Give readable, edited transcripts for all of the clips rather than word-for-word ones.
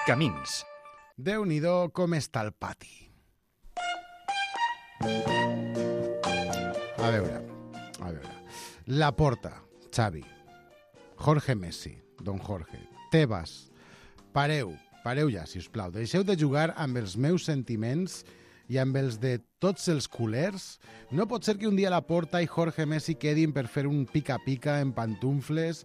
Camins. Déu-n'hi-do com està el pati. A veure. Laporta, Xavi, Jorge Messi, Don Jorge, Tebas, pareu ja, si us plau. Deixeu de jugar amb els meus sentiments i amb els de tots els culers. No pot ser que un dia Laporta i Jorge Messi quedin per fer un pica-pica en pantufles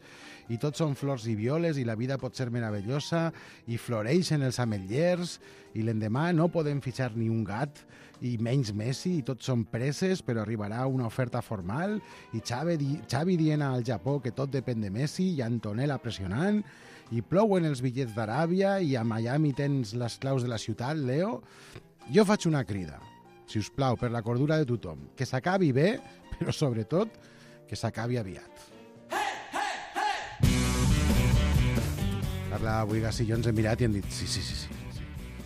i tots són flors i violes i la vida pot ser meravellosa i floreixen els ametllers i l'endemà no podem fitxar ni un gat i menys Messi i tots són preses però arribarà una oferta formal i Xavi dient al Japó que tot depèn de Messi i Antonella pressionant i plouen els bitllets d'Aràbia i a Miami tens les claus de la ciutat, Leo. Jo faig una crida, si us plau, per la cordura de tothom, que s'acabi bé, però sobretot que s'acabi aviat. Carla Buigas i jo ens hem mirat i hem dit sí.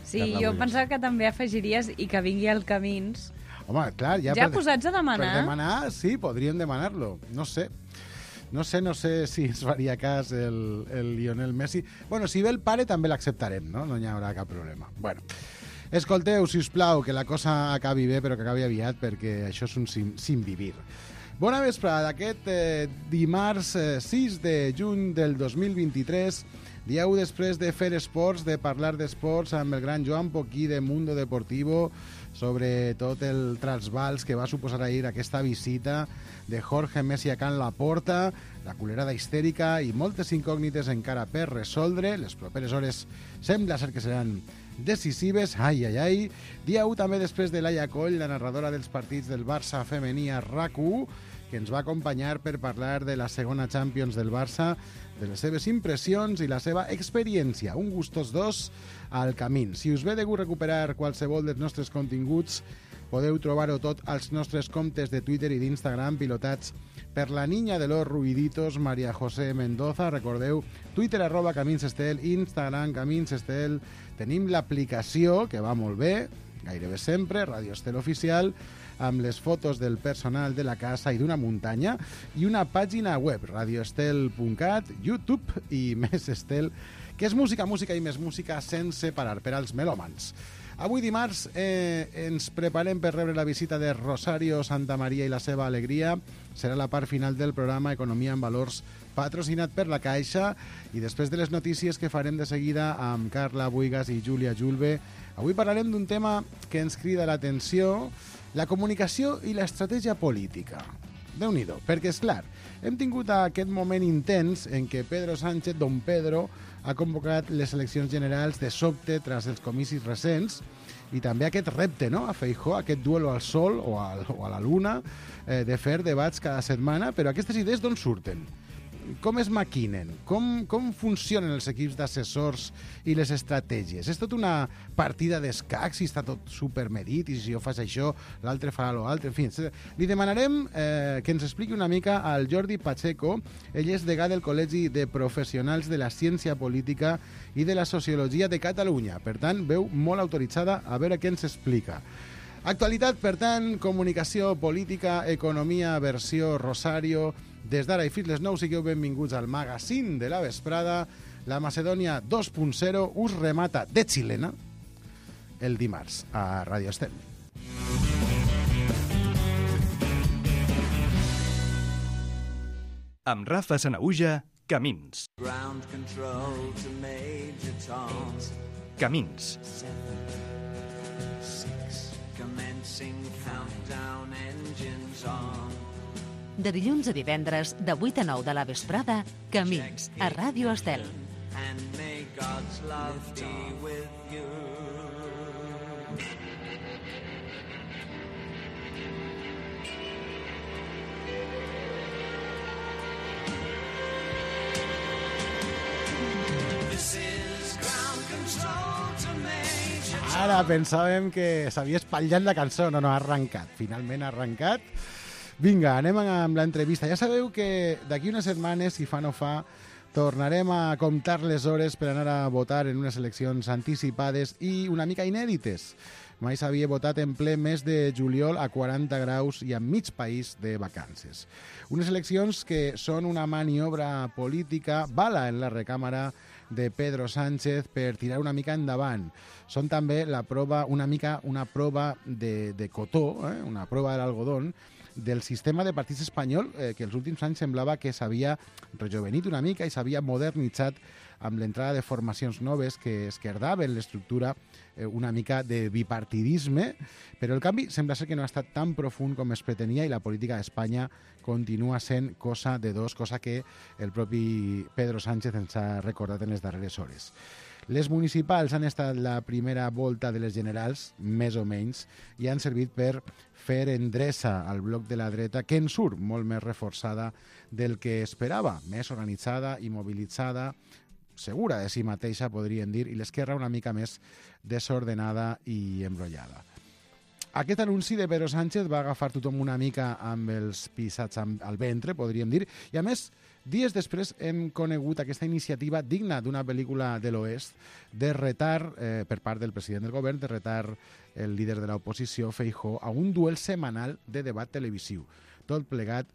Sí, jo pensava que també afegiries i que vingui al Camins. Home, clar, ja posats a demanar. Per demanar, sí, podríem demanar-lo. No sé si ens faria cas el Lionel Messi. Bueno, si ve el pare també l'acceptarem, no? No hi haurà cap problema. Bueno, escolteu, si us plau, que la cosa acabi bé, però que acabi aviat, perquè això és un sin vivir. Bona vesprada d'aquest dimarts 6 de juny del 2023, dia 1 després de fer esports, de parlar d'esports amb el gran Joan Poquí de Mundo Deportivo sobre tot el trasbals que va suposar ahir aquesta visita de Jorge Messi a Can Laporta, la culerada histèrica i moltes incògnites encara per resoldre. Les properes hores sembla ser que seran decisives. Ai. Dia 1 també després de Laia Coll, la narradora dels partits del Barça femení a RAC1, que ens va acompanyar per parlar de la segona Champions del Barça, de les seves impressions i la seva experiència. Un gustos dos al Camins. Si us ve de gust recuperar qualsevol dels nostres continguts, podeu trobar-ho tot als nostres comptes de Twitter i d'Instagram pilotats per la niña de los ruiditos, María José Mendoza. Recordeu, Twitter @CaminsEstel, Instagram CaminsEstel. Tenim l'aplicació, que va molt bé, gairebé sempre, Radio Estel Oficial, amb les fotos del personal de la casa i d'una muntanya, i una pàgina web, radioestel.cat, YouTube i Més Estel, que és música i més música sense parar per als melòmans. Avui dimarts ens preparem per rebre la visita de Rosario Santamaría i la seva alegria. Serà la part final del programa Economia en Valors, patrocinat per la Caixa, i després de les notícies que farem de seguida amb Carla Buigas i Júlia Julve, avui parlarem d'un tema que ens crida l'atenció: la comunicació i l'estratègia política. Déu-n'hi-do, perquè, és clar, hem tingut aquest moment intens en què Pedro Sánchez, Don Pedro, ha convocat les eleccions generals de sobte tras els comicis recents, i també aquest repte, no?, a Feijóo, aquest duelo al sol o a la luna, de fer debats cada setmana. Però aquestes idees d'on surten? Com es maquinen? Com funcionen els equips d'assessors i les estratègies? És tot una partida d'escacs i està tot supermedit, i si jo faig això, l'altre farà l'altre. En fi, li demanarem que ens expliqui una mica al Jordi Pacheco. Ell és degà del Col·legi de Professionals de la Ciència Política i de la Sociologia de Catalunya. Per tant, veu molt autoritzada, a veure què ens explica. Actualitat, per tant, comunicació, política, economia, versió Rosario. Des d'ara i fins les 9 sigueu benvinguts al magazín de la vesprada. La Macedònia 2.0 us remata de xilena el dimarts a Radio Estel. Amb Rafa Sanaüja, Camins. Camins. De dilluns a divendres, de 8 a 9 de la vesprada, Camins, a Ràdio Estel. Ara pensàvem que s'havia espatllat la cançó. No, ha arrencat. Finalment ha arrencat. Vinga, anem amb l'entrevista. Ja sabeu que d'aquí unes setmanes, si fa no fa, tornarem a comptar les hores per anar a votar en unes eleccions anticipades i una mica inèdites. Mai s'havia votat en ple mes de juliol a 40 graus i amb mig país de vacances. Unes eleccions que són una maniobra política, bala en la recàmera de Pedro Sánchez per tirar una mica endavant. Són també una prova de cotó, una prova de l'algodón, del sistema de partits espanyol que els últims anys semblava que s'havia rejovenit una mica i s'havia modernitzat amb l'entrada de formacions noves que esquerdaven l'estructura una mica de bipartidisme, però el canvi sembla ser que no ha estat tan profund com es pretenia i la política d'Espanya continua sent cosa de dos, cosa que el propi Pedro Sánchez ens ha recordat en les darreres hores. Les municipals han estat la primera volta de les generals, més o menys, i han servit per fer endreça al bloc de la dreta, que en surt molt més reforçada del que esperava, més organitzada i mobilitzada, segura de si mateixa, podríem dir, i l'esquerra una mica més desordenada i embrollada. Aquest anunci de Pedro Sánchez va agafar tothom una mica amb els pisats al ventre, podríem dir, i a més, dies després hem conegut aquesta iniciativa digna d'una pel·lícula de l'Oest de retar, per part del president del govern, de retar el líder de l'oposició, Feijóo, a un duel setmanal de debat televisiu. Tot plegat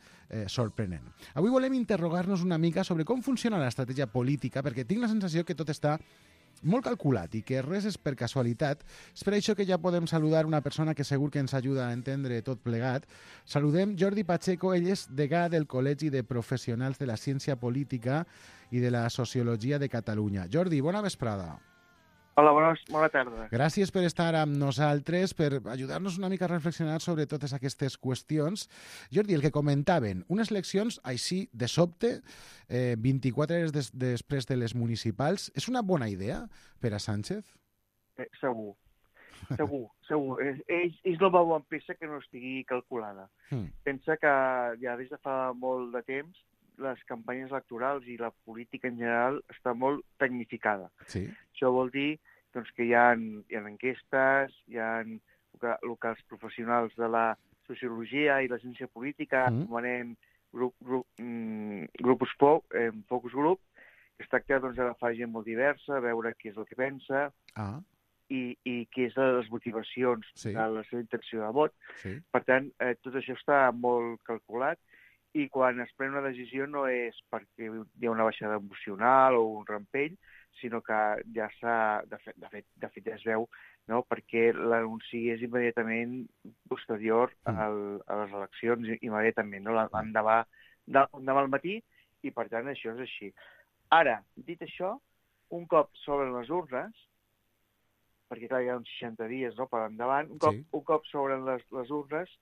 sorprenent. Avui volem interrogar-nos una mica sobre com funciona l'estratègia política, perquè tinc la sensació que tot està molt calculat i que res és per casualitat. És per això que ja podem saludar una persona que segur que ens ajuda a entendre tot plegat. Saludem Jordi Pacheco, ell és degà del Col·legi de Professionals de la Ciència Política i de la Sociologia de Catalunya. Jordi, bona vesprada. Hola, bona tarda. Gràcies per estar amb nosaltres, per ajudar-nos una mica a reflexionar sobre totes aquestes qüestions. Jordi, el que comentaven, unes eleccions així de sobte, 24 hores després de les municipals, és una bona idea per a Sánchez? Segur. Ells no veuen peça que no estigui calculada. Pensa que ja des de fa molt de temps les campanyes electorals i la política en general està molt tecnificada. Sí. Això vol dir doncs, que hi ha enquestes, hi ha el que els professionals de la sociologia i la ciència política anomenem focus group, que es tracta d'agafar gent molt diversa, veure què és el que pensa i què és les motivacions de la seva intenció de vot. Per tant, tot això està molt calculat i quan es pren una decisió no és perquè hi ha una baixada emocional o un rampell, sinó que ja s'ha, de fet ja es veu, no? Perquè l'anunci és immediatament posterior a les eleccions, immediatament, no? L'endemà al matí, i per tant això és així. Ara, dit això, un cop s'obren les urnes, perquè clar, hi ha uns 60 dies per endavant, un cop s'obren les urnes,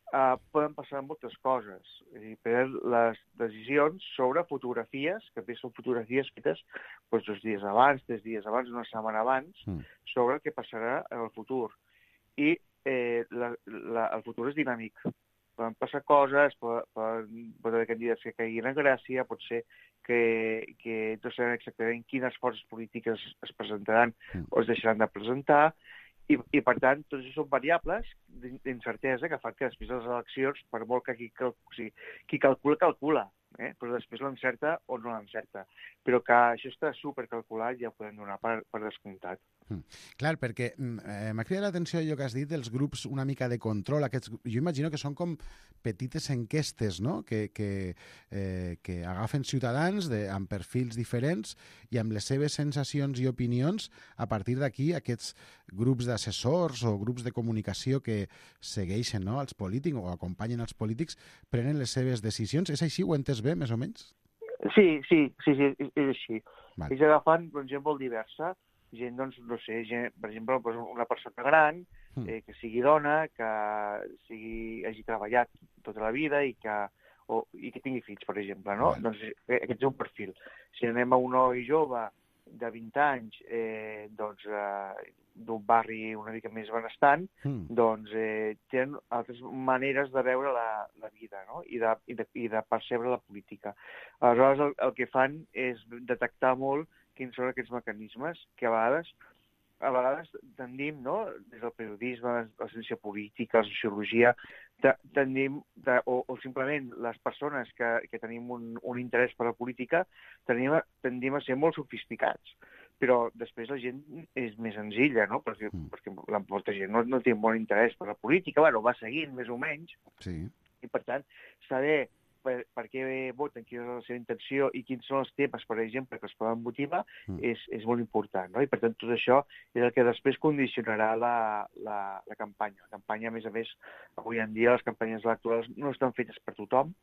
poden passar moltes coses. Les decisions sobre fotografies, que bé són fotografies fetes 2 dies abans, 3 dies abans, una setmana abans, sobre el que passarà en el futur. I el futur és dinàmic. Poden passar coses, pot haver candidats que caiguin en gràcia, pot ser que no sabem exactament quines forces polítiques es presentaran o es deixaran de presentar, i per tant, tots això són variables d'incertesa que fan que després de les eleccions, per molt que qui calcula, però després l'encerta o no l'encerta. Però que això està supercalculat ja ho podem donar per descomptat. Clar, perquè m'ha cridat l'atenció allò que has dit dels grups una mica de control. Jo imagino que són com petites enquestes, no? que agafen ciutadans amb perfils diferents i amb les seves sensacions i opinions, a partir d'aquí aquests grups d'assessors o grups de comunicació que segueixen els polítics o acompanyen els polítics, prenen les seves decisions. És així? Ho he entès bé, més o menys? Sí, és així. Ells agafen gent molt diversa, gent, no sé, per exemple, una persona gran, que sigui dona, que hagi treballat tota la vida i que tingui fills, per exemple, no? Doncs aquest és un perfil. Si anem a un noi jove de 20 anys, d'un barri una mica més benestant, doncs tenen altres maneres de veure la vida, no? I de percebre la política. Aleshores, el que fan és detectar molt quins són aquests mecanismes que a vegades tendim, no? Des del periodisme, la ciència política, la sociologia, tendim, o simplement les persones que tenim un interès per la política, tendim a ser molt sofisticats. Però després la gent és més senzilla, no? Perquè molta gent no té molt interès per la política, va seguint més o menys, i per tant, saber per què voten, quina és la seva intenció i quins són els temes, per exemple, que es poden motivar, és molt important, no? I per tant tot això és el que després condicionarà la campanya. La campanya, a més, avui en dia les campanyes electorals no estan fetes per tothom,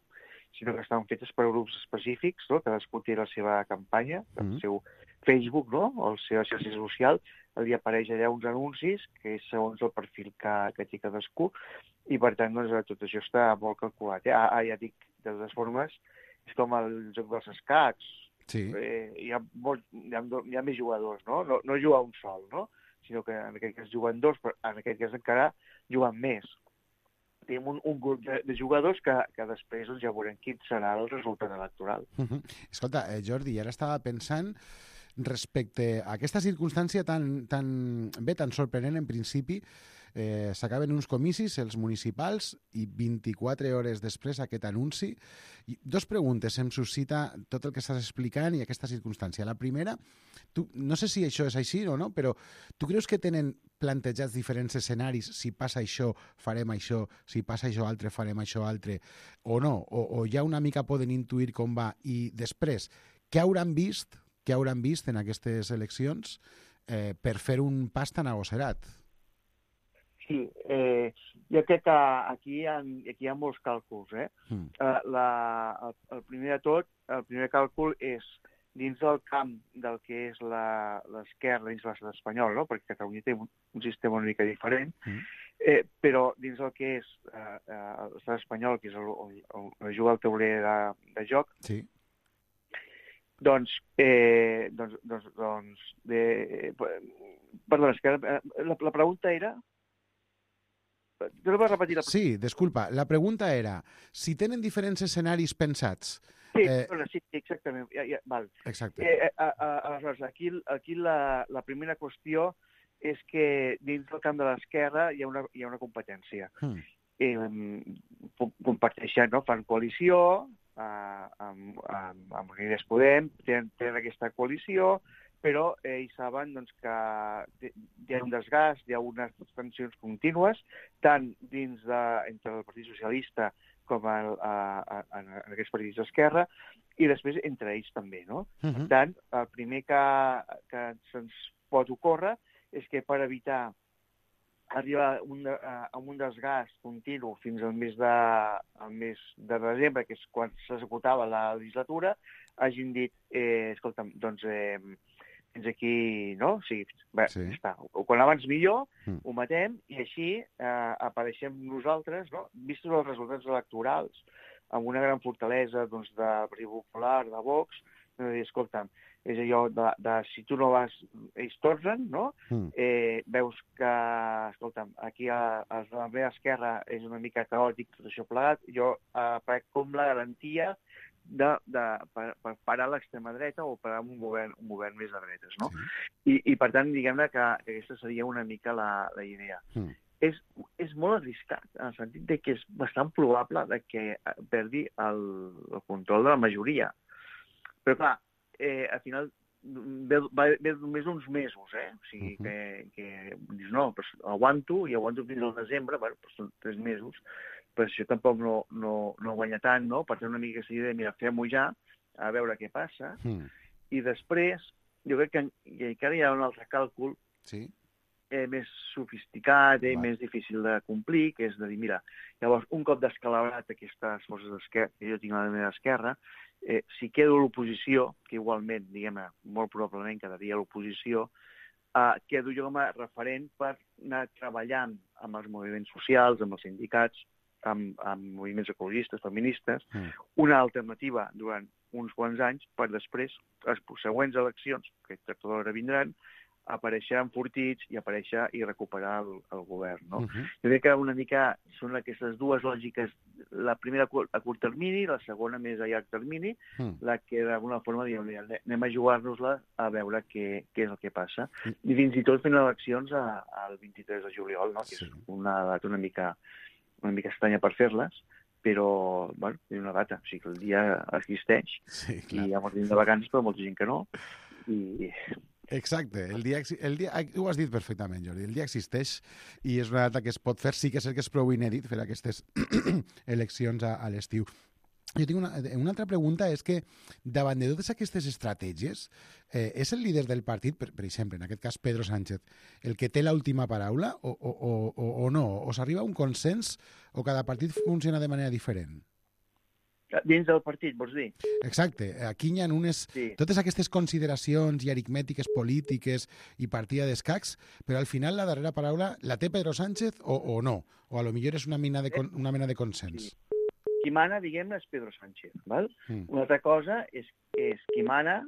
sinó que estan fetes per grups específics, no? Cadascú té la seva campanya, el seu Facebook, no? O la seva xarxa social, li apareix allà uns anuncis, que és segons el perfil que té cadascú, i per tant doncs, tot això està molt calculat. Ja dic, de totes formes, és com el joc dels escacs. Sí. Hi ha més jugadors, no? No juga un sol, no? Sinó que en aquest cas juguen dos, però en aquest cas encara juguen més. Tenim un grup de jugadors que després doncs, ja veurem quin serà el resultat electoral. Escolta, Jordi, ara estava pensant respecte a aquesta circumstància tan sorprenent en principi. S'acaben uns comicis, els municipals, i 24 hores després aquest anunci. Dos preguntes em suscita tot el que estàs explicant i aquesta circumstància. La primera, no sé si això és així o no, però tu creus que tenen plantejats diferents escenaris? Si passa això, farem això, si passa això altre, farem això altre, o no? O ja una mica poden intuir com va? I després, què hauran vist en aquestes eleccions per fer un pas tan agosserat? Sí, jo crec que aquí hi ha molts càlculs. El primer de tot, el primer càlcul és dins del camp del que és l'esquerra dins l'estat espanyol, no? Perquè Catalunya té un sistema una mica diferent, però dins del que és l'estat espanyol, que és on juga el tauler de joc, sí. Perdona, és que la pregunta era... No vas repetir la pregunta? Sí, disculpa. La pregunta era, si tenen diferents escenaris pensats... Sí, exactament. Val. Exacte. Aleshores, aquí la primera qüestió és que dins del camp de l'esquerra hi ha una competència. Comparteixen, no? Fan coalició, amb Unides Podem, tenen aquesta coalició, però ells saben doncs, que hi ha un desgast, hi ha unes tensions contínues, tant entre el Partit Socialista com en aquests partits d'esquerra, i després entre ells també, no? Per tant, el primer que se'ns pot ocórrer és que per evitar arribar a un desgast continu fins al mes de desembre, que és quan s'executava la legislatura, hagin dit, escolta'm, doncs fins aquí, no? Sí, està. Quan abans millor, ho matem, i així apareixem nosaltres, no? Vistos els resultats electorals, amb una gran fortalesa del Partit Popular, de Vox, escolta'm, és allò de si tu no vas, ells tornen, no? Veus que, escolta'm, aquí a la meva esquerra és una mica caòtic tot això plegat, jo com la garantia per parar l'extrema dreta o parar un govern més de dretes, no? I per tant, diguem-ne que aquesta seria una mica la idea. És molt arriscat, en el sentit que és bastant probable que perdi el control de la majoria. Però clar, al final ve només uns mesos, O sigui que dius, no, aguanto fins al desembre, però són 3 mesos, però això tampoc no guanya tant, no? Per tant, una mica aquesta idea de, mira, fem-ho ja, a veure què passa, i després, jo crec que encara hi ha un altre càlcul més sofisticat, més difícil de complir, que és de dir, mira, llavors, un cop descalabrat aquestes forces d'esquerra, que jo tinc a la meva esquerra, si quedo a l'oposició, que igualment, diguem-ne, molt probablement quedaria a l'oposició, quedo jo com a referent per anar treballant amb els moviments socials, amb els sindicats, amb moviments ecologistes, feministes, una alternativa durant uns quants anys per després, les següents eleccions, que tot l'hora vindran, aparèixer enfortits i aparèixer i recuperar el govern, no? Jo crec que una mica són aquestes dues lògiques, la primera a curt termini, la segona més a llarg termini, la que d'alguna forma diem, anem a jugar-nos-la a veure què és el que passa. I fins i tot fent eleccions el 23 de juliol, no? Que és una data una mica estranya per fer-les, però, bueno, és una data, o sigui que el dia existeix, i hi ha molta gent de vacances, però molta gent que no, i... Exacte, el dia, ho has dit perfectament, Jordi, el dia existeix i és una data que es pot fer, sí que és el que és prou inèdit fer aquestes eleccions a l'estiu. Jo tinc una altra pregunta, és que davant de totes aquestes estratègies, és el líder del partit, per exemple, en aquest cas Pedro Sánchez, el que té l'última paraula o no? O s'arriba a un consens o cada partit funciona de manera diferent? Dins del partit, vols dir? Exacte. Aquí hi ha totes aquestes consideracions i aritmètiques polítiques i partida d'escacs, però al final la darrera paraula la té Pedro Sánchez o no? O a lo millor és una mena de consens? Sí. Qui mana, diguem-ne, és Pedro Sánchez. Val? Una altra cosa és qui mana,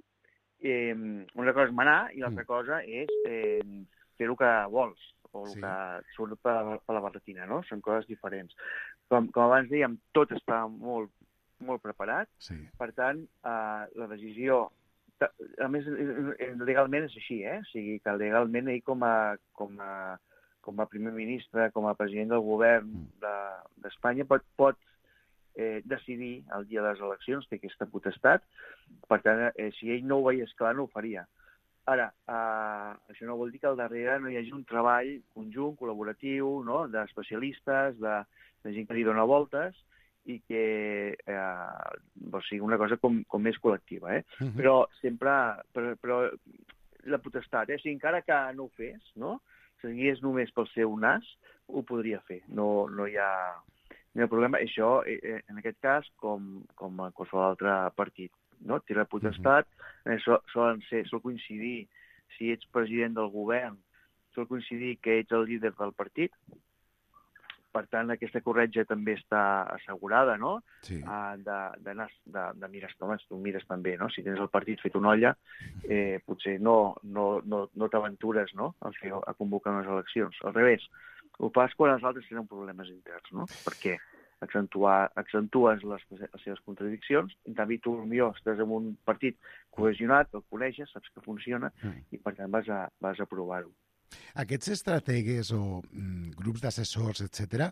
una cosa és manar i l'altra cosa és fer el que vols o el que surt per la barretina, no? Són coses diferents. Com abans dèiem, tot està molt, molt preparat, per tant, la decisió... A més, legalment és així, O sigui, que legalment ell com a primer ministre, com a president del govern d'Espanya, pot decidir el dia de les eleccions, té aquesta potestat. Per tant, si ell no ho veiés clar, no ho faria. Ara, això no vol dir que al darrere no hi hagi un treball conjunt, col·laboratiu, no?, d'especialistes, de gent que li dona voltes, i que sigui una cosa com més col·lectiva. Però sempre... Però la potestat, si encara que no ho fes, no?, seguís només pel seu nas, ho podria fer. No hi ha problema. Això, en aquest cas, com a qualsevol altre partit, no? Té la potestat, sol coincidir, si ets president del govern, sol coincidir que ets el líder del partit. Per tant, aquesta corretja també està assegurada, no? Sí. De mirar, home, tu mires també, no? Si tens el partit fet una olla, potser no t'aventures, no?, a convocar unes eleccions. Al revés, ho fas quan els altres tenen problemes interns, no? Perquè accentues les seves contradiccions, en canvi tu potser estàs en un partit cohesionat, el coneixes, saps que funciona, i per tant vas a provar-ho. Aquests estrategues o grups d'assessors, etc.,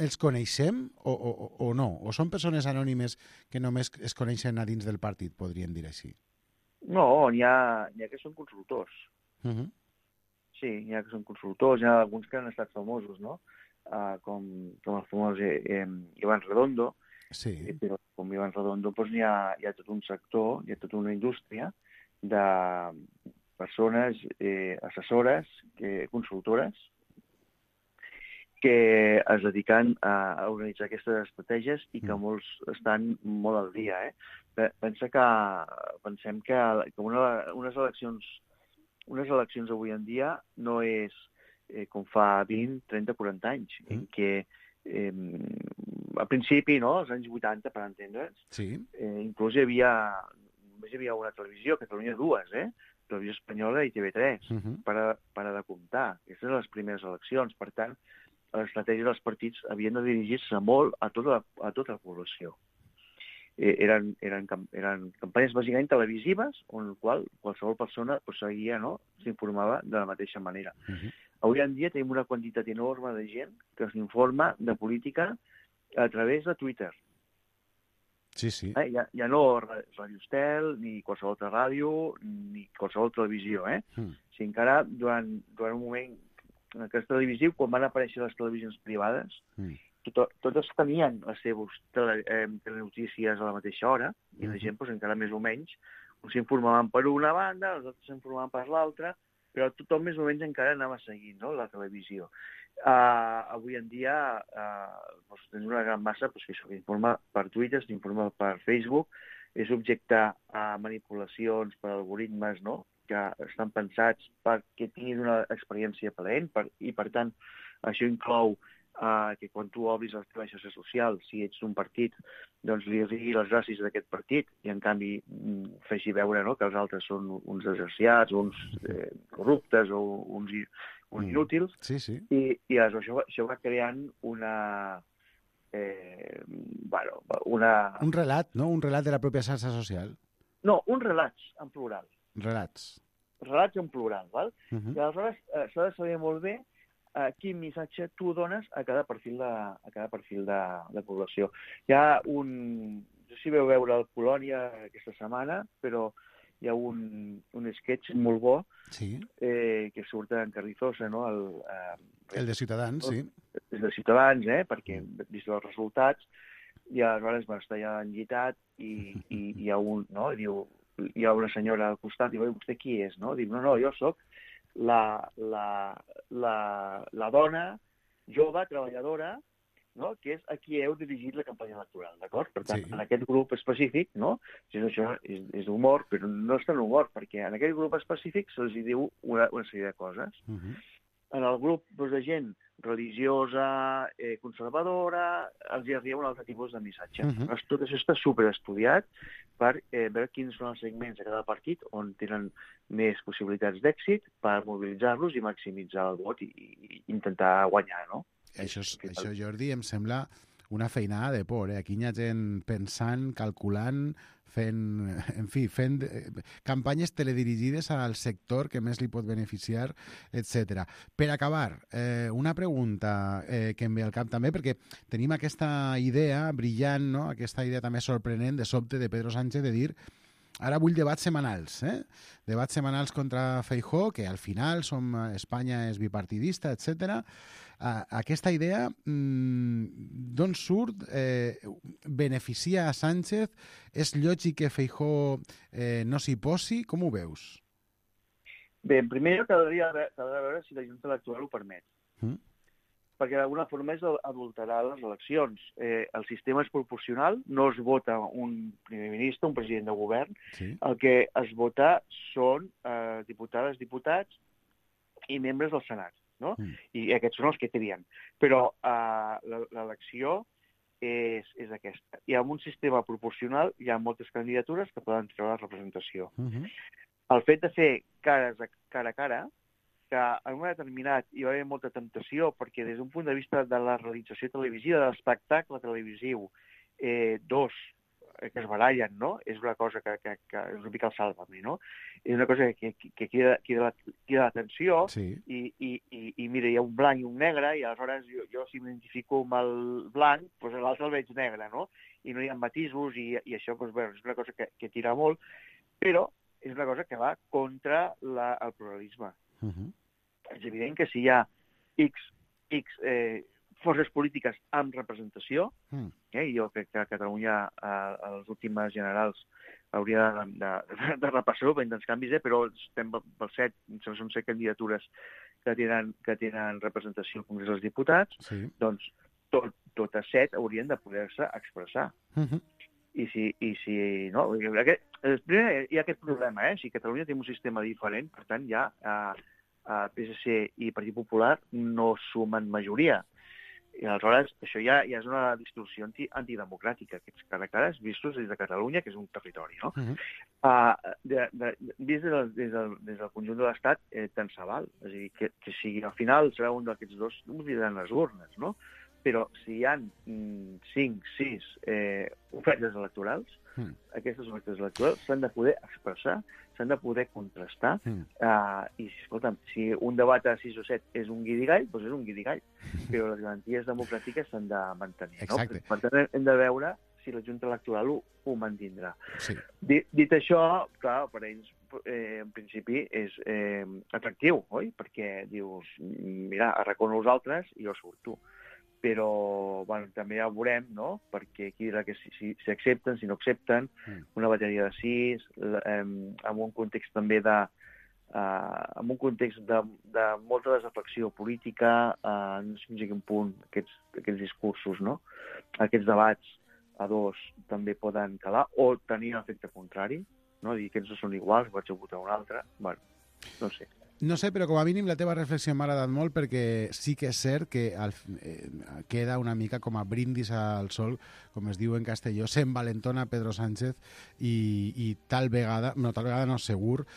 els coneixem o no? O són persones anònimes que només es coneixen a dins del partit, podríem dir així? No, n'hi ha que són consultors. Sí, n'hi ha que són consultors, n'hi ha alguns que han estat famosos, no? Com el famós Iván Redondo. Sí. Però com Iván Redondo doncs hi ha tot un sector, hi ha tota una indústria de persones assessores, consultores, que es dediquen a organitzar aquestes estratègies i que molts estan molt al dia. Pensem que unes eleccions avui en dia no és com fa 20, 30, 40 anys, en què al principi, no, als anys 80, per entendre's, inclús només hi havia una televisió, Catalunya 2, Televisió Espanyola i TV3, per a de comptar. Aquestes eren les primeres eleccions. Per tant, l'estratègia dels partits havien de dirigir-se molt a tota la població. Eren campanyes bàsicament televisives, on qualsevol persona seguia, s'informava de la mateixa manera. Avui en dia tenim una quantitat enorme de gent que s'informa de política a través de Twitter. Sí, sí. Ja no Ràdio Estel, ni qualsevol altra ràdio, ni qualsevol televisió. Si encara durant un moment en aquest televisiu, quan van aparèixer les televisions privades, totes tenien les seves telenotícies a la mateixa hora, i la gent encara més o menys s'informaven per una banda, els altres s'informaven per l'altra, però tothom més o menys encara anava seguint la televisió. Avui en dia tens una gran massa que s'informa per Twitter, s'informa per Facebook, és objecte a manipulacions per algoritmes que estan pensats perquè tinguis una experiència plaent i, per tant, això inclou que quan tu obris les teves xarxes socials, si ets d'un partit, doncs li digui les gràcies d'aquest partit i, en canvi, feixi veure que els altres són uns desgraciats, uns corruptes o uns inútils. Sí, sí. I això va creant una... Un relat, no? Un relat de la pròpia xarxa social. No, uns relats en plural. Relats. Relats en plural, val? I aleshores s'ha de saber molt bé quin missatge tu dones a cada perfil de població. Hi ha no sé si veu veure el Polònia aquesta setmana, però hi ha un sketch molt bo que surt en Carrizosa, no? El de Ciutadans, sí. El de Ciutadans, perquè, vist els resultats, I aleshores està ja enllitat i hi ha un, no? Diu, hi ha una senyora al costat, diu, vostè qui és, no? Diu, no, jo sóc la dona jove, treballadora, no? Que és a qui heu dirigit la campanya electoral, d'acord? Per tant, en aquest grup específic, no? Això és d'humor, però no és tan humor, perquè en aquest grup específic se'ls diu una sèrie de coses. En el grup de gent religiosa, conservadora, els hi arriba un altre tipus de missatge. Tot això està superestudiat per veure quins són els segments de cada partit on tenen més possibilitats d'èxit per mobilitzar-los i maximitzar el vot i intentar guanyar, no? Això, Jordi, em sembla una feinada de por. Aquí hi ha gent pensant, calculant, fent campanyes teledirigides al sector que més li pot beneficiar, etc. Per acabar, una pregunta que em ve al cap també, perquè tenim aquesta idea brillant, no? Aquesta idea també sorprenent de sobte de Pedro Sánchez de dir ara vull debats setmanals, debats setmanals contra Feijóo, que al final Espanya és bipartidista, etc. Aquesta idea d'on surt? Beneficia a Sánchez? És lògic que Feijóo no s'hi posi? Com ho veus? Bé, primer caldria veure si la Junta Electoral ho permet. Perquè d'alguna forma és adulterar les eleccions. El sistema és proporcional, no es vota un primer ministre, un president de govern. El que es vota són diputades, diputats i membres del Senat, no? I aquests són els que trien. Però l'elecció és aquesta. I en un sistema proporcional hi ha moltes candidatures que poden treure la representació. El fet de fer cara a cara, que en un moment determinat hi va haver molta temptació, perquè des d'un punt de vista de la realització televisiva, de l'espectacle televisiu, dos que es barallen, no? És una cosa que és una mica el Sálvame, no? És una cosa que crida l'atenció i mira, hi ha un blanc i un negre i aleshores jo si m'identifico amb el blanc, doncs l'altre el veig negre, no? I no hi ha matisos i això, doncs bé, és una cosa que tira molt, però és una cosa que va contra el pluralisme. És evident que si hi ha X forces polítiques amb representació, jo crec que a Catalunya a les últimes generals hauria de repassar-ho per tants canvis, però estem pel 7, són 7 candidatures que tenen representació al Congrés dels Diputats, doncs totes 7 haurien de poder-se expressar. I si no, primer hi ha aquest problema, si Catalunya té un sistema diferent, per tant ja PSC i Partit Popular no sumen majoria. I aleshores això ja és una distorsió antidemocràtica, aquests cara a cara vistos des de Catalunya, que és un territori, no? Vist des del conjunt de l'Estat, tant se val. És a dir, que si al final serà un d'aquests dos, no m'ho diran les urnes, no? Però si hi ha 5, 6 ofertes electorals, aquestes ofertes electorals s'han de poder expressar, s'han de poder contrastar, i escolta'm, si un debat a 6 o 7 és un guirigall, doncs és un guirigall, però les garanties democràtiques s'han de mantenir, no? Per tant, hem de veure si la Junta Electoral ho mantindrà. Dit això, clar, per ells, en principi, és atractiu, oi? Perquè dius, mira, arracono els altres i jo surto. Però també ja ho veurem, no? Perquè aquí dirà que si accepten, si no accepten, una bateria de 6, en un context també en un context de molta desafecció política, no sé fins a quin punt aquests discursos, no? Aquests debats a dos també poden calar o tenir un efecte contrari, no? Dir que aquests no són iguals, vaig a votar un altre, bueno, no sé. No sé, però com a mínim la teva reflexió m'ha agradat molt perquè sí que és cert que queda una mica com a brindis al sol, com es diu en castelló, s'envalentona Pedro Sánchez i tal vegada no segur,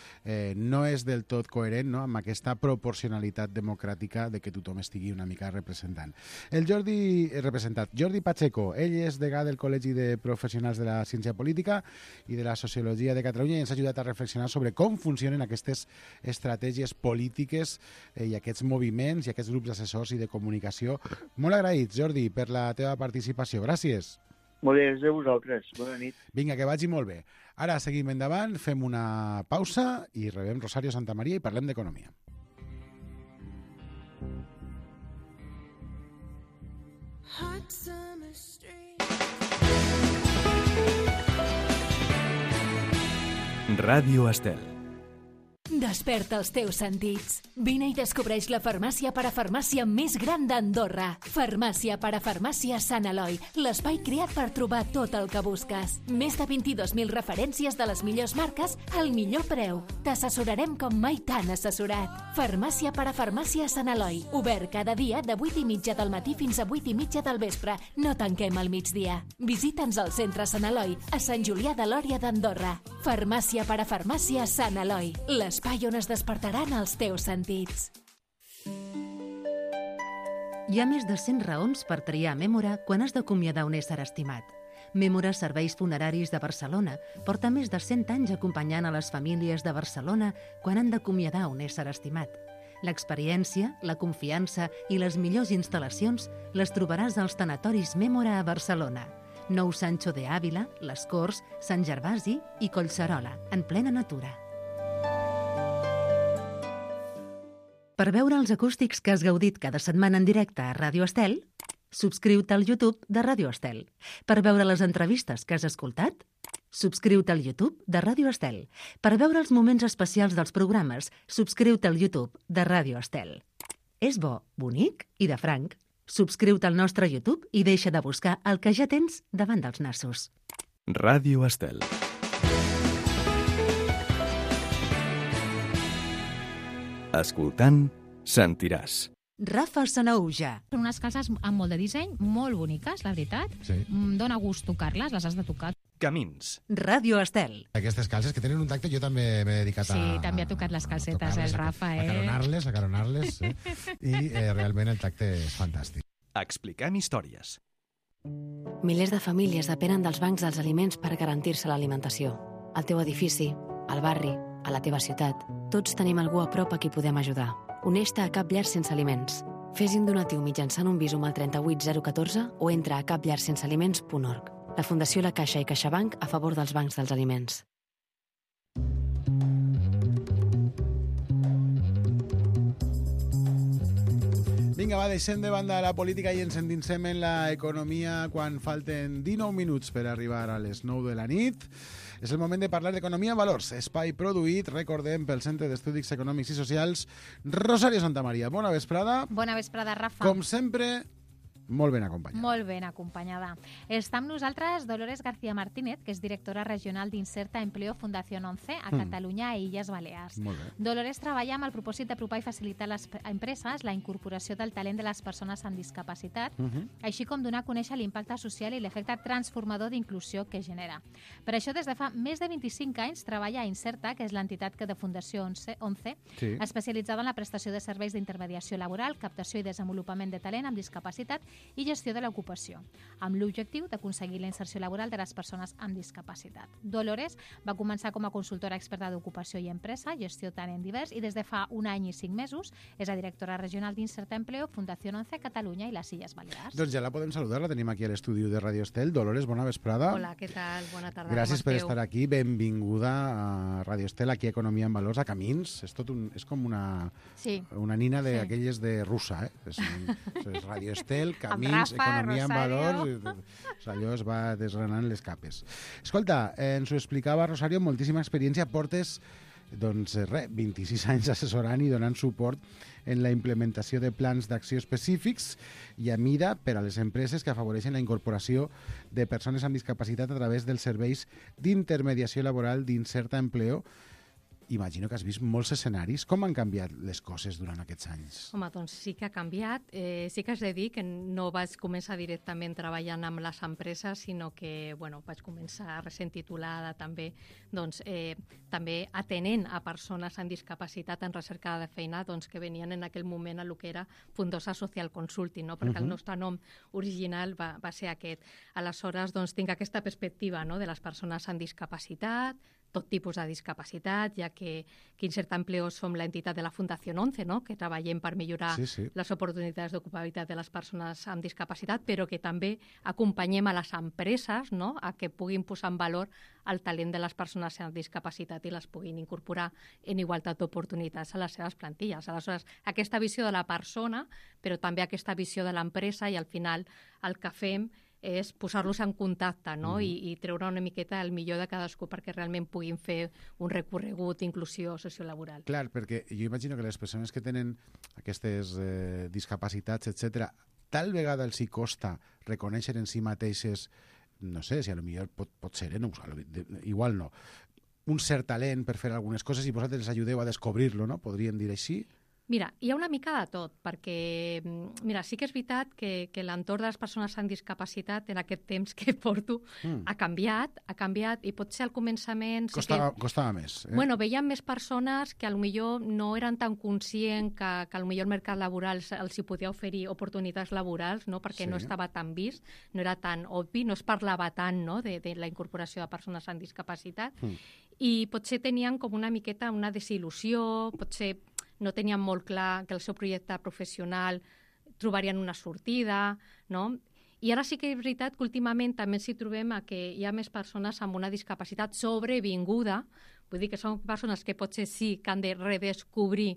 no és del tot coherent, no?, amb aquesta proporcionalitat democràtica de que tothom estigui una mica representant. Jordi Pacheco, ell és degà del Col·legi de Professionals de la Ciència Política i de la Sociologia de Catalunya i ens ha ajudat a reflexionar sobre com funcionen aquestes estratègies polítiques i aquests moviments i aquests grups d'assessors i de comunicació. Molt agraïts, Jordi, per la teva participació. Gràcies. Molt bé, gràcies a vosaltres. Bona nit. Vinga, que vagi molt bé. Ara seguim endavant, fem una pausa i rebem Rosario Santamaría i parlem d'economia. Hot summer street. Ràdio Estel. Desperta els teus sentits. Vine i descobreix la farmàcia parafarmàcia més gran d'Andorra. Farmàcia parafarmàcia Sant Eloi, l'espai creat per trobar tot el que busques. Més de 22.000 referències de les millors marques al millor preu. T'assessorarem com mai t'han assessorat. Farmàcia parafarmàcia Sant Eloi, obert cada dia de 8:30 del matí fins a 8:30 del vespre. No tanquem al migdia. Visita'ns al centre Sant Eloi, a Sant Julià de Lòria d'Andorra. Farmàcia parafarmàcia Sant Eloi, l'espai on es despertaran els teus sentits. Hi ha més de 100 raons per triar Mémora quan has d'acomiadar un ésser estimat. Mémora Serveis Funeraris de Barcelona porta més de 100 anys acompanyant a les famílies de Barcelona quan han d'acomiadar un ésser estimat. L'experiència, la confiança i les millors instal·lacions les trobaràs als tanatoris Mémora a Barcelona. Nou Sancho de Ávila, Les Corts, Sant Gervasi i Collserola, en plena natura. Per veure els acústics que has gaudit cada setmana en directe a Ràdio Estel, subscriu-te al YouTube de Ràdio Estel. Per veure les entrevistes que has escoltat, subscriu-te al YouTube de Ràdio Estel. Per veure els moments especials dels programes, subscriu-te al YouTube de Ràdio Estel. És bo, bonic i de franc. Subscriu-te al nostre YouTube i deixa de buscar el que ja tens davant dels nassos. Ràdio Estel. Escoltant, sentiràs. Rafa Sanaüja. Són unes calces amb molt de disseny, molt boniques, la veritat. Sí. Dóna gust tocar-les, les has de tocar. Camins. Ràdio Estel. Aquestes calces que tenen un tacte, jo també m'he dedicat a... Sí, també ha tocat les calcetes, el Rafa, Acaronar-les, i realment el tacte és fantàstic. Explicant històries. Milers de famílies depenen dels bancs dels aliments per garantir-se l'alimentació. Al teu edifici, al barri, a la teva ciutat, tots tenim algú a prop a qui podem ajudar. Uneix-te a Cap Llar Sense Aliments. Fes un donatiu mitjançant un Bizum al 38014 o entra a capllarsensealiments.org. La Fundació La Caixa i CaixaBank a favor dels bancs dels aliments. Vinga, va, deixem de banda la política i ens endinsem en l'economia quan falten 19 minuts per arribar a les 9 de la nit. És el moment de parlar d'Economia en Valors, espai produït, recordem, pel Centre d'Estudis Econòmics i Socials Rosario Santamaría. Bona vesprada. Bona vesprada, Rafa. Com sempre, molt ben acompanyada. Molt ben acompanyada. Està amb nosaltres Dolores García Martínez, que és directora regional d'Inserta Empleo Fundació 11 a Catalunya i Illes Balears. Molt bé. Dolores treballa amb el propòsit d'apropar i facilitar a les empreses la incorporació del talent de les persones amb discapacitat, així com donar a conèixer l'impacte social i l'efecte transformador d'inclusió que genera. Per això, des de fa més de 25 anys, treballa a Inserta, que és l'entitat de Fundació 11, especialitzada en la prestació de serveis d'intermediació laboral, captació i desenvolupament de talent amb discapacitat i gestió de l'ocupació, amb l'objectiu d'aconseguir la inserció laboral de les persones amb discapacitat. Dolores va començar com a consultora experta d'ocupació i empresa, gestió talent divers, i des de fa un any i 5 mesos és la directora regional d'Inserta Empleo, Fundació 11, Catalunya i les Illes Balears. Doncs ja la podem saludar, la tenim aquí a l'estudi de Radio Estel. Dolores, bona vesprada. Hola, què tal? Bona tarda. Gràcies per estar aquí, benvinguda a Radio Estel, aquí a Economia en Valors, a Camins. És com una nina d'aquelles de russa, és Radio Estel, Camins, Rafa, Economia Rosario. en Valors, allò es va desgranant les capes. Escolta, ens ho explicava Rosario, moltíssima experiència, portes 26 anys assessorant i donant suport en la implementació de plans d'acció específics i a mida per a les empreses que afavoreixen la incorporació de persones amb discapacitat a través dels serveis d'intermediació laboral d'Inserta Empleo. Imagino que has vist molts escenaris. Com han canviat les coses durant aquests anys? Home, doncs sí que ha canviat. Sí que has de dir que no vaig començar directament treballant amb les empreses, sinó que vaig començar recent titulada també, també atenent a persones amb discapacitat en recerca de feina que venien en aquell moment a lo que era Fundosa Social Consulting, no? Perquè el nostre nom original va ser aquest. Aleshores, tinc aquesta perspectiva, no?, de les persones amb discapacitat, tot tipus de discapacitat, ja que Inserta Empleo som l'entitat de la Fundació 11, no?, que treballem per millorar les oportunitats d'ocupabilitat de les persones amb discapacitat, però que també acompanyem a les empreses, no?, a que puguin posar en valor el talent de les persones amb discapacitat i les puguin incorporar en igualtat d'oportunitats a les seves plantilles. Aleshores, aquesta visió de la persona, però també aquesta visió de l'empresa, i al final el que fem és posar-los en contacte, no? I treure una miqueta el millor de cadascú perquè realment puguin fer un recorregut d'inclusió sociolaboral. Clar, perquè jo imagino que les persones que tenen aquestes discapacitats, etc., tal vegada els hi costa reconèixer en si mateixes, no sé, si a lo millor pot ser, no, igual no, un cert talent per fer algunes coses i vosaltres els ajudeu a descobrir-lo, no? Podríem dir així? Mira, hi ha una mica de tot, perquè mira, sí que és veritat que l'entorn de les persones amb discapacitat en aquest temps que porto ha canviat i potser al començament... Costava més. Bueno, veiem més persones que potser no eren tan conscients que potser el mercat laboral els hi podia oferir oportunitats laborals, no? Perquè no estava tan vist, no era tan obvi, no es parlava tant, no? de la incorporació de persones amb discapacitat i potser tenien com una miqueta una desil·lusió, potser no tenien molt clar que el seu projecte professional trobarien una sortida, no? I ara sí que és veritat que últimament també ens hi trobem que hi ha més persones amb una discapacitat sobrevinguda, vull dir que són persones que potser sí que han de redescobrir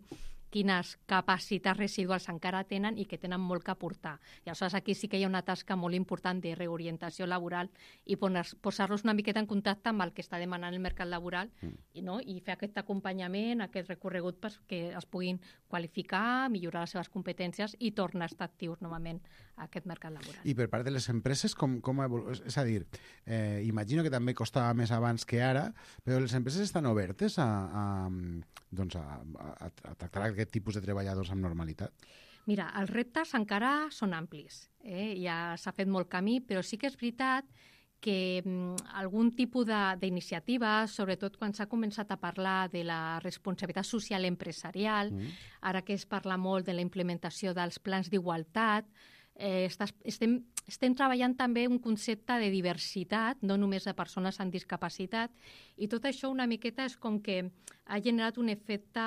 quines capacitats residuals encara tenen i que tenen molt que aportar. I aleshores aquí sí que hi ha una tasca molt important de reorientació laboral i posar-los una miqueta en contacte amb el que està demanant el mercat laboral i fer aquest acompanyament, aquest recorregut perquè es puguin qualificar, millorar les seves competències i tornar a estar actius novament a aquest mercat laboral. I per part de les empreses, com és a dir, imagino que també costava més abans que ara, però les empreses estan obertes a tractar aquest tipus de treballadors amb normalitat? Mira, els reptes encara són amplis. Ja s'ha fet molt camí, però sí que és veritat que algun tipus d'iniciativa, sobretot quan s'ha començat a parlar de la responsabilitat social empresarial, ara que es parla molt de la implementació dels plans d'igualtat, estem treballant també un concepte de diversitat, no només de persones amb discapacitat, i tot això una miqueta és com que ha generat un efecte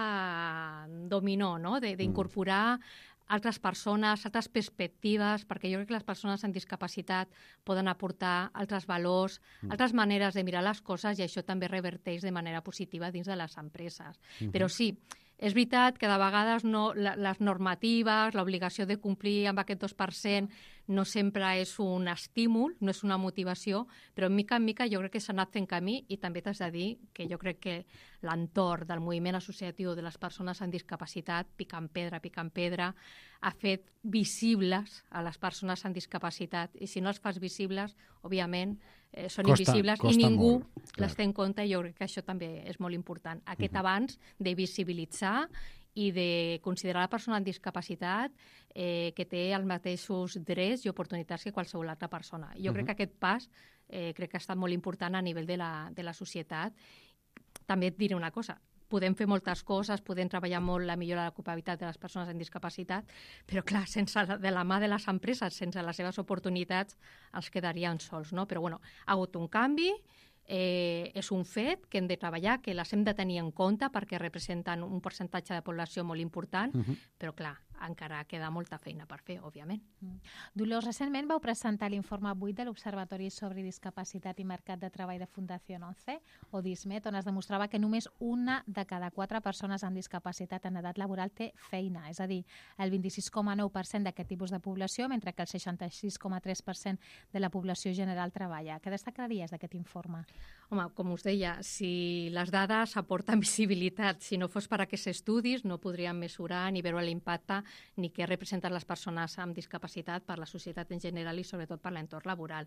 dominó, no? D'incorporar altres persones, altres perspectives, perquè jo crec que les persones amb discapacitat poden aportar altres valors, altres maneres de mirar les coses, i això també reverteix de manera positiva dins de les empreses. Però sí, és veritat que de vegades les normatives, l'obligació de complir amb aquest 2% no sempre és un estímul, no és una motivació, però mica en mica jo crec que s'ha anat fent camí i també t'has de dir que jo crec que l'entorn del moviment associatiu de les persones amb discapacitat, picant pedra, ha fet visibles a les persones amb discapacitat. I si no els fas visibles, òbviament, són invisibles i ningú les té en compte, i jo crec que això també és molt important. Aquest abans de visibilitzar i de considerar la persona amb discapacitat que té els mateixos drets i oportunitats que qualsevol altra persona. Jo crec que aquest pas crec que ha estat molt important a nivell de la societat. També et diré una cosa, podem fer moltes coses, podem treballar molt la millora de l'ocupabilitat de les persones amb discapacitat, però clar, sense de la mà de les empreses, sense les seves oportunitats, els quedarien sols, no? Però bueno, ha hagut un canvi, és un fet que hem de treballar, que les hem de tenir en compte perquè representen un percentatge de població molt important, però clar, encara queda molta feina per fer, òbviament. Dolors, recentment vau presentar l'informe 8 de l'Observatori sobre Discapacitat i Mercat de Treball de Fundació 11, o DISMET, on es demostrava que només una de cada 4 persones amb discapacitat en edat laboral té feina, és a dir, el 26,9% d'aquest tipus de població, mentre que el 66,3% de la població general treballa. Què destacaries d'aquest informe? Home, com us deia, si les dades aporten visibilitat, si no fos per aquests estudis, no podríem mesurar ni veure l'impacte ni què representen les persones amb discapacitat per la societat en general i sobretot per l'entorn laboral.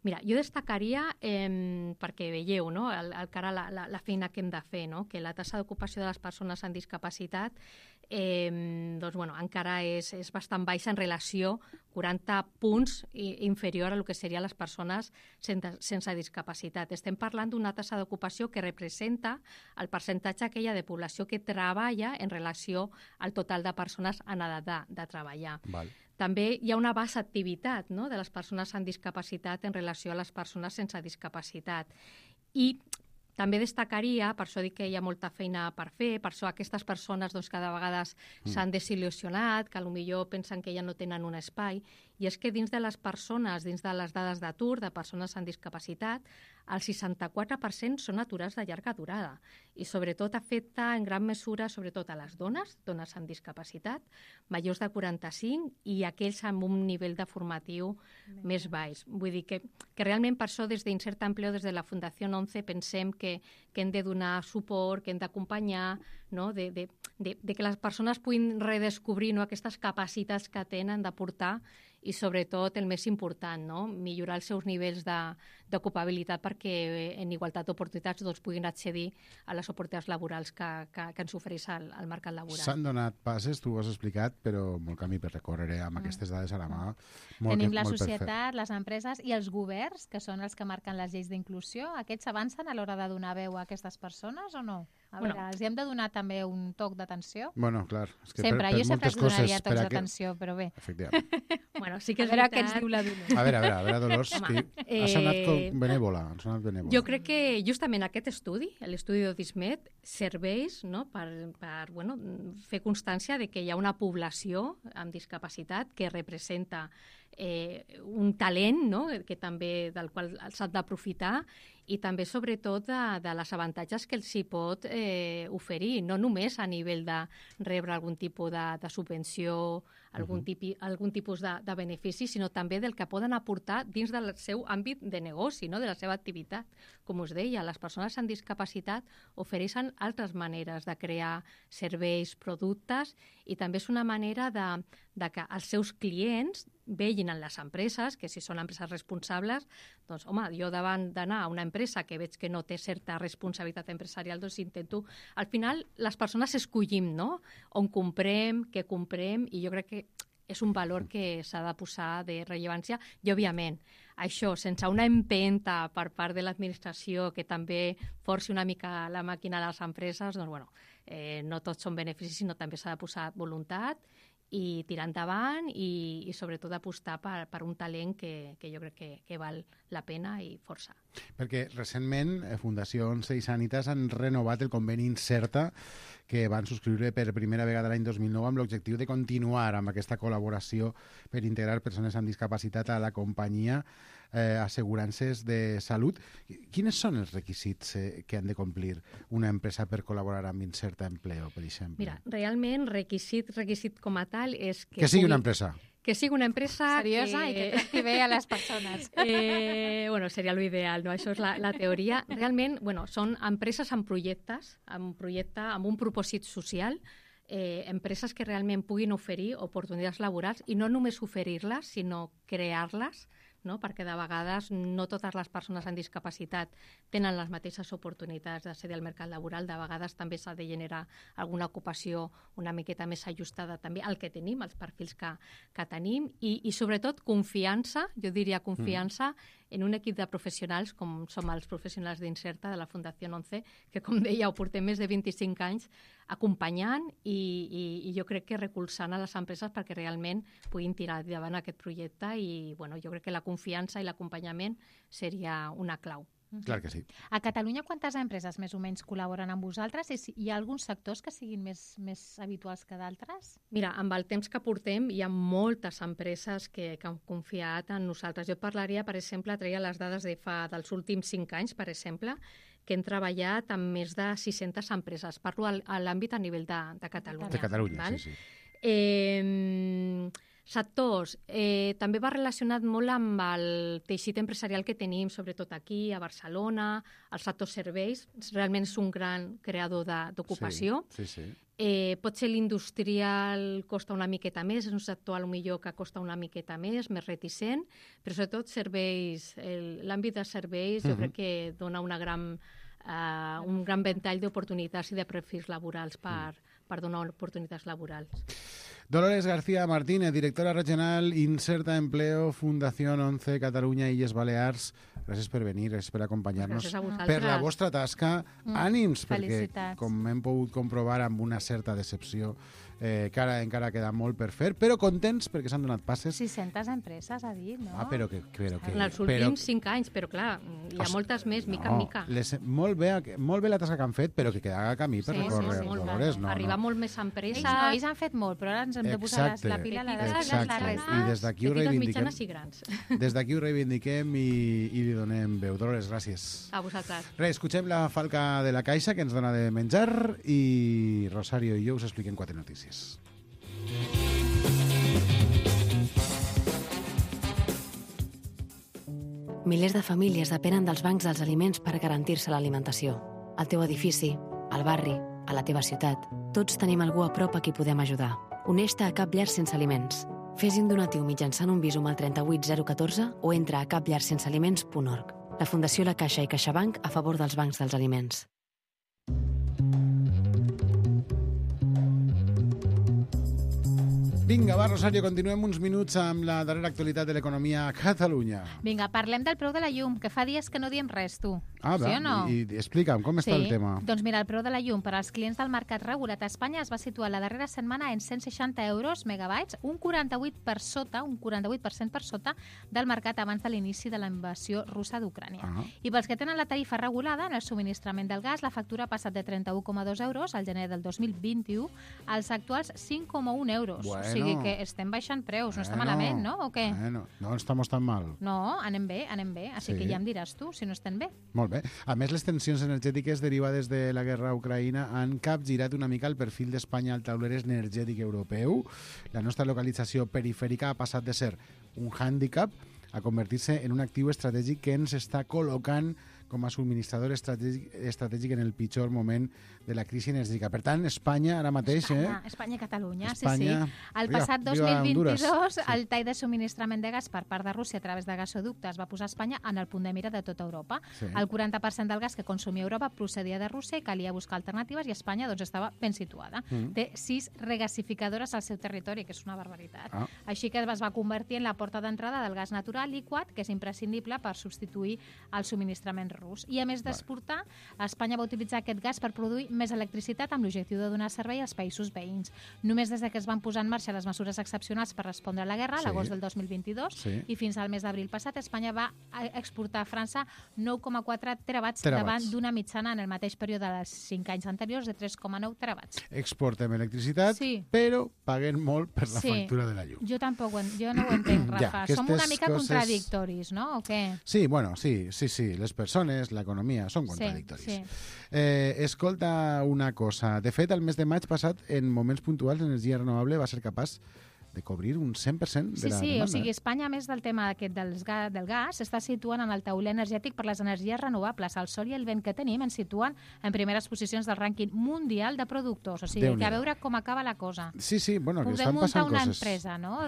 Mira, jo destacaria, perquè veieu, no?, encara la feina que hem de fer, no?, que la taxa d'ocupació de les persones amb discapacitat doncs, bueno, encara és bastant baixa en relació, 40 punts inferior a el que serien les persones sense discapacitat. Estem parlant d'una taxa d'ocupació que representa el percentatge aquella de població que treballa en relació al total de persones en edat de treballar. Val. També hi ha una baixa activitat, no?, de les persones amb discapacitat en relació a les persones sense discapacitat. I també destacaria, per això dic que hi ha molta feina per fer, per això aquestes persones doncs, cada vegada s'han desil·lusionat, que potser pensen que ja no tenen un espai, i és que dins de les persones, dins de les dades d'atur de persones amb discapacitat, el 64% són aturats de llarga durada i sobretot afecta en gran mesura sobretot a les dones amb discapacitat, majors de 45 i aquells amb un nivell de formatiu més baix. Vull dir que realment per això des d'Inserta Empleo, des de la Fundació 11, pensem que hem de donar suport, que hem d'acompanyar, no? de que les persones puguin redescobrir, no? aquestes capacitats que tenen d'aportar i sobretot el més important, no? Millorar els seus nivells d'ocupabilitat perquè en igualtat d'oportunitats puguin accedir a les oportunitats laborals que ens ofereix el mercat laboral. S'han donat passes, tu ho has explicat, però molt camí per recórrer amb aquestes dades a la mà. Tenim la societat, les empreses i els governs, que són els que marquen les lleis d'inclusió. Aquests avancen a l'hora de donar veu a aquestes persones o no? A veure, els hem de donar també un toc d'atenció? Bueno, clar. És que sempre, jo sempre els donaria tocs d'atenció, però bé. Efectivament. Bueno, sí que és a veure veritat. què ens diu la Dolors. A veure, Dolors, ha sonat benèvola. Jo crec que justament aquest estudi, l'estudi d'Odismet, serveix, no, per fer constància de que hi ha una població amb discapacitat que representa un talent, no? Que també del qual s'ha d'aprofitar i també sobretot de les avantatges que els hi pot oferir, no només a nivell de rebre algun tipus de subvenció, algun tipus de benefici, sinó també del que poden aportar dins del seu àmbit de negoci, no? De la seva activitat. Com us deia, les persones amb discapacitat ofereixen altres maneres de crear serveis, productes, i també és una manera de que els seus clients vegin en les empreses, que si són empreses responsables, doncs, home, jo davant d'anar a una empresa que veig que no té certa responsabilitat empresarial, doncs intento... Al final, les persones escollim, no?, on comprem, què comprem, i jo crec que és un valor que s'ha de posar de rellevància, i, òbviament, això, sense una empenta per part de l'administració que també forci una mica la màquina a les empreses, doncs, bueno, no tots són beneficis, sinó també s'ha de posar voluntat i tirar endavant i sobretot apostar per un talent que jo crec que val la pena i força. Perquè recentment Fundació 11 i Sanitas han renovat el conveni Inserta que van subscriure per primera vegada l'any 2009 amb l'objectiu de continuar amb aquesta col·laboració per integrar persones amb discapacitat a la companyia assegurances de salut. Quins són els requisits que han de complir una empresa per col·laborar amb Inserta Empleo, per exemple? Mira, realment requisit com a tal és que sigui una empresa. Que sigui una empresa seriosa i que tracti bé a les persones. Bueno, seria l'ideal, no? Això és la teoria. Realment, són empreses amb projectes, amb un propòsit social, empreses que realment puguin oferir oportunitats laborals i no només oferir-les, sinó crear-les, no? Perquè de vegades no totes les persones amb discapacitat tenen les mateixes oportunitats d'accedir al mercat laboral. De vegades també s'ha de generar alguna ocupació una miqueta més ajustada també al que tenim, als perfils que tenim, i sobretot confiança, jo diria confiança en un equip de professionals com som els professionals d'Inserta de la Fundació 11, que, com deia, ho portem més de 25 anys acompanyant i jo crec que recolzant a les empreses perquè realment puguin tirar endavant aquest projecte i jo crec que la confiança i l'acompanyament seria una clau. Clar que sí. A Catalunya, quantes empreses més o menys col·laboren amb vosaltres? Hi ha alguns sectors que siguin més habituals que d'altres? Mira, amb el temps que portem hi ha moltes empreses que han confiat en nosaltres. Jo parlaria, per exemple, treia les dades dels últims 5 anys, per exemple, que hem treballat amb més de 600 empreses. Parlo a l'àmbit a nivell de Catalunya. De Catalunya, val? Sí. Sectors, també va relacionat molt amb el teixit empresarial que tenim, sobretot aquí, a Barcelona, el sector serveis, realment és un gran creador d'ocupació. Sí. Pot ser l'industrial costa una miqueta més, és un sector potser que costa una miqueta més reticent, però sobretot serveis, l'àmbit de serveis jo crec que dona un gran ventall d'oportunitats i de perfils laborals per donar oportunitats laborals. Dolores García Martínez, directora regional Inserta Empleo, Fundación 11, Catalunya, Illes Balears. Gràcies per venir, gràcies per acompanyar-nos. Per la vostra tasca, ànims, perquè com hem pogut comprovar amb una certa decepció, encara queda molt per fer, però contents perquè s'han donat passes. 600 empreses, ha dit, no? Però que... En els últims 5 anys, però clar, hi ha moltes més, mica en mica. Molt bé la tasca que han fet, però que queda camí per recórrer, Dolores. Arribar ajudar molt més empreses. Ells han fet molt, però ara ens hem de posar la pila a la resta. I des d'aquí ho reivindiquem. Des d'aquí ho reivindiquem i li donem veu. Dolores, gràcies. A vosaltres. Res, escuchem la falca de la caixa que ens dona de menjar i Rosario i jo us expliquem 4 notícies. Milers de famílies depenen dels bancs dels aliments per garantir-se l'alimentació. Al teu edifici, al barri, a la teva ciutat, tots tenim algú a prop a qui podem ajudar. Uneix-te a Cap Llar Sense Aliments. Fes un donatiu mitjançant un Bizum al 38014 o entra a capllarsensealiments.org. La Fundació La Caixa i CaixaBank a favor dels bancs dels aliments. Vinga, va, Rosario, continuem uns minuts amb la darrera actualitat de l'economia a Catalunya. Vinga, parlem del preu de la llum, que fa dies que no diem res, tu. Ah, sí o no? I explica'm, com està el tema? Doncs mira, el preu de la llum per als clients del mercat regulat a Espanya es va situar la darrera setmana en 160 euros megabytes, un 48% per sota del mercat abans de l'inici de la invasió russa d'Ucrània. I pels que tenen la tarifa regulada en el subministrament del gas, la factura ha passat de 31,2 euros al gener del 2021 als actuals 5,1 euros. Bueno. O sigui que estem baixant preus, no està malament, no? O què? No estamos tan mal. No, anem bé. Així que ja em diràs tu, si no estem bé. Molt bé. A més, les tensions energètiques derivades de la guerra a Ucraïna han capgirat una mica el perfil d'Espanya al tauler energètic europeu. La nostra localització perifèrica ha passat de ser un hàndicap a convertir-se en un actiu estratègic que ens està col·locant com a subministrador estratègic en el pitjor moment de la crisi energètica. Per tant, Espanya ara mateix... Espanya i Catalunya, Espanya, sí. El passat 2022, el tall de subministrament de gas per part de Rússia a través de gasoductes va posar Espanya en el punt de mira de tota Europa. El 40% del gas que consumia Europa procedia de Rússia i calia buscar alternatives i Espanya estava ben situada. Té 6 regasificadores al seu territori, que és una barbaritat. Així que es va convertir en la porta d'entrada del gas natural liquat, que és imprescindible per substituir el subministrament rus. I a més d'exportar, Espanya va utilitzar aquest gas per produir més electricitat amb l'objectiu de donar servei als països veïns. Només des que es van posar en marxa les mesures excepcionals per respondre a la guerra, a l'agost del 2022, i fins al mes d'abril passat, Espanya va exportar a França 9,4 terawatts davant d'una mitjana en el mateix període dels 5 anys anteriors de 3,9 terawatts. Exportem electricitat, però paguem molt per la factura de la llum. Jo tampoc, jo no ho entenc, Rafa. Som una mica contradictoris, no? O què? Sí, bueno, sí. Les persones, l'economia, són contradictoris. Escolta una cosa. De fet, el mes de maig passat, en moments puntuals, l'energia renovable va ser capaç de cobrir un 100% de la demanda. O sigui, Espanya, a més del tema aquest del gas, s'està situant en el tauler energètic per les energies renovables. El sol i el vent que tenim ens situen en primeres posicions del rànquing mundial de productors. O sigui, que a veure com acaba la cosa. Sí, bueno, que estan passant coses. Podem muntar una empresa, no?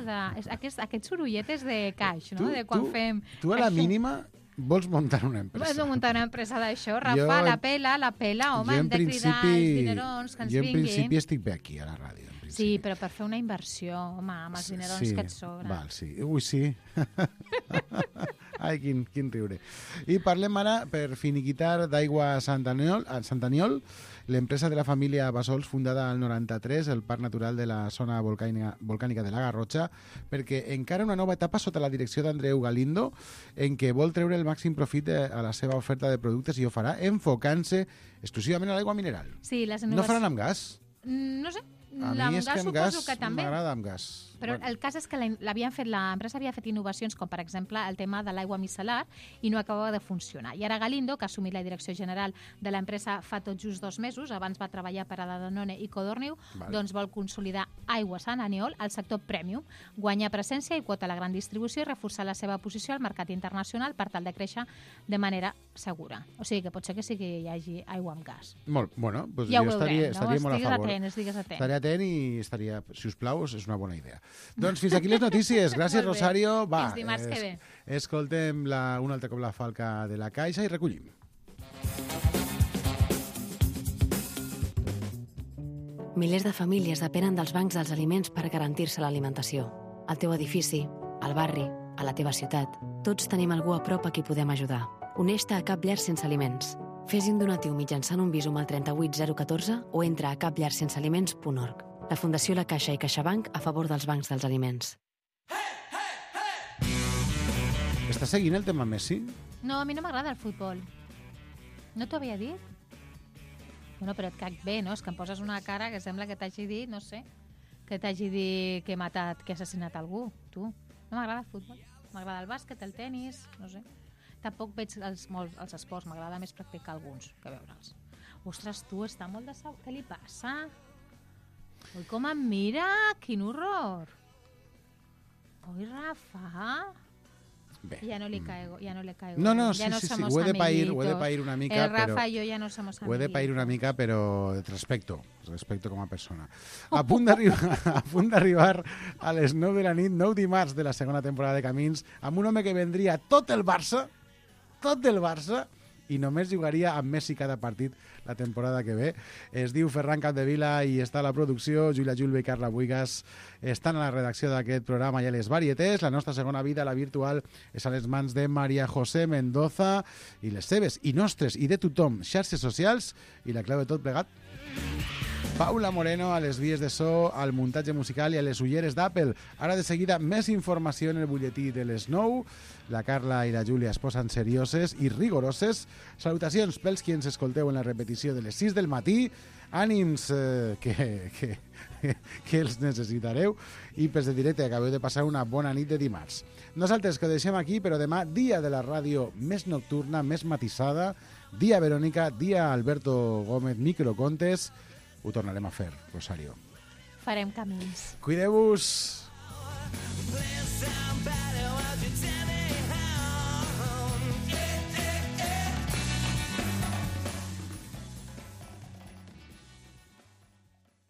Aquests sorolletes de caix, no? De quan fem... Tu a la mínima... Vols muntar una empresa? Vols muntar una empresa d'això, Rafa? La pela, home, hem de cridar els dinerons que ens vinguin. Jo en principi estic bé aquí, a la ràdio. Sí, però per fer una inversió, home, amb els dinerons que et sobren. Val, sí. Ui, sí. Ai, quin riure. I parlem ara, per finiquitar, d'Aigua Sant Aniol, l'empresa de la família Bassols, fundada al 93, el Parc Natural de la zona volcànica de la Garrotxa, perquè encara una nova etapa sota la direcció d'Andreu Galindo, en què vol treure el màxim profit a la seva oferta de productes i ho farà enfocant-se exclusivament a l'aigua mineral. Sí, no faran amb gas? No sé. A mi és que amb gas m'agrada amb gas. Però el cas és que l'empresa havia fet innovacions com, per exemple, el tema de l'aigua micel·lar i no acabava de funcionar. I ara Galindo, que ha assumit la direcció general de l'empresa fa tot just 2 mesos, abans va treballar per a la Danone i Codorniu, doncs vol consolidar Aigua Sant Aniol al sector premium, guanyar presència i quota a la gran distribució i reforçar la seva posició al mercat internacional per tal de créixer de manera segura. O sigui que pot ser que sí que hi hagi aigua amb gas. Molt, bueno, doncs ja jo estaria molt a favor. Estigues atent. Estaré atent i estaria, si us plau, és una bona idea. Doncs fins aquí les notícies. Gràcies, Rosario. Va, fins dimarts que ve. Escoltem un altre cop la falca de la caixa i recollim. Milers de famílies depenen dels bancs dels aliments per garantir-se l'alimentació. Al teu edifici, al barri, a la teva ciutat, tots tenim algú a prop a qui podem ajudar. Uneix-te a Cap Llar Sense Aliments. Fes un donatiu mitjançant un Bizum al 38014 o entra a capllarsensealiments.org. La Fundació La Caixa i CaixaBank a favor dels bancs dels aliments. Estàs seguint el tema Messi? No, a mi no m'agrada el futbol. No t'ho havia dit? Bueno, però et caic bé, no? És que em poses una cara que sembla que t'hagi dit, no sé, que t'hagi dit que he matat, que he assassinat algú, tu. No m'agrada el futbol, m'agrada el bàsquet, el tenis, no sé. Tampoc veig els esports, m'agrada més practicar alguns que veure'ls. Ostres, tu, està molt de què li passa? Ui, com em mira, quin horror. Ui, Rafa... Bé. Ja no li caigo. No, sí, ho he de pair una mica. El Rafa i jo ja no somos amiguitos. Ho he de pair una mica, però respecto com a persona. A punt d'arribar a les 9 de la nit, 9 dimarts de la segona temporada de Camins, amb un home que vendria tot el Barça, i només jugaria amb Messi cada partit la temporada que ve. Es diu Ferran Capdevila i està a la producció. Júlia Julve i Carla Buigas estan a la redacció d'aquest programa i a les varietés. La nostra segona vida, la virtual, és a les mans de Maria José Mendoza i les seves, i nostres, i de tothom, xarxes socials, i la clau de tot plegat, Paula Moreno a les vies de so, al muntatge musical i a les ulleres d'Apple. Ara de seguida més informació en el butlletí de les 9. La Carla i la Júlia es posen serioses i rigoroses. Salutacions pels qui ens escolteu en la repetició de les 6 del matí. Ànims que els necessitareu. I pels de directe acabeu de passar una bona nit de dimarts. Nosaltres que ho deixem aquí, però demà dia de la ràdio més nocturna, més matisada. Dia Verònica, dia Alberto Gómez, microcontes. Ho tornarem a fer, Rosario. Farem camins. Cuideu-vos.